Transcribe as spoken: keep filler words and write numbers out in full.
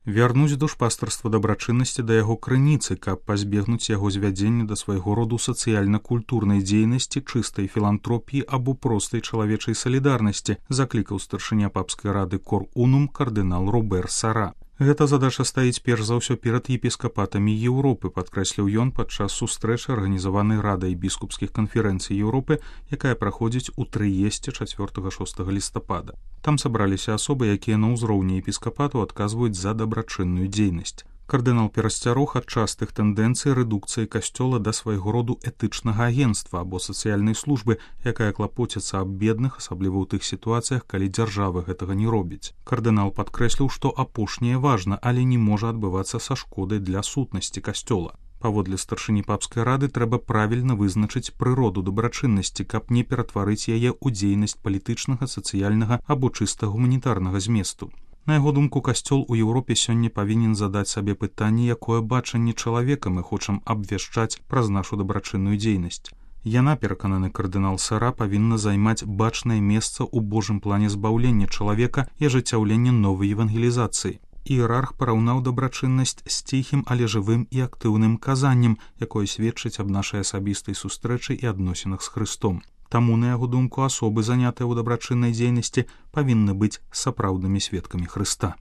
Вярнуць душпастарства дабрачыннасці да яго крыніцы, каб пазбегнуць яго звядзення да свайго роду сацыяльна-культурнай дзейнасці, чыстай філантропіі або простай чалавечай салідарнасці, заклікаў старшыня папскай рады Кор Унум кардынал Робер Сара. Гэта задача стаіць перш за ўсё перад епіскапатамі Еўропы, падкрэсліў ён падчас сустрэчы, арганізаванай радай біскупскіх канферэнцый Еўропы, якая праходзіць у Трыесце чацвёртага-шостага лістапада. Там сабраліся асобы, якія на ўзроўні епіскапату адказваюць за дабрачынную дзейнасць. Кардынал перасцярог ад частых тэндэнцый рэдукцыі касцёла да свайго роду этычнага агенцтва або сацыяльнай службы, якая клапоціцца аб бедных, асабліва ў тых сітуацыях, калі дзяржава гэтага не робіць. Кардынал падкрэсліў, што апошняе важна, але не можа адбывацца са шкодай для сутнасці касцёла. Паводле старшыні папскай рады трэба правільна вызначыць прыроду дабрачыннасці, каб не ператварыць яе ў дзейнасць палітычнага, сацыяльнага або чыста гуманітарнага зместу. На яго думку, касцёл у Еўропе сёння павінен задаць сабе пытанне, якое бачанне чалавека мы хочам абвяшчаць праз нашу дабрачынную дзейнасць. Яна, перакананы кардынал Сара, павінна займаць бачнае месца ў Божым плане збаўлення чалавека і ажыццяўлення новай евангелізацыі. Іерарх параўнаў дабрачыннасць з ціхім, але жывым і актыўным казаннем, якое сведчыць аб нашай асабістай сустрэчы і адносінах з Хрыстом. Таму, на яго думку, асобы, занятыя ў дабрачыннай дзейнасці, павінны быць сапраўднымі сведкамі Хрыста.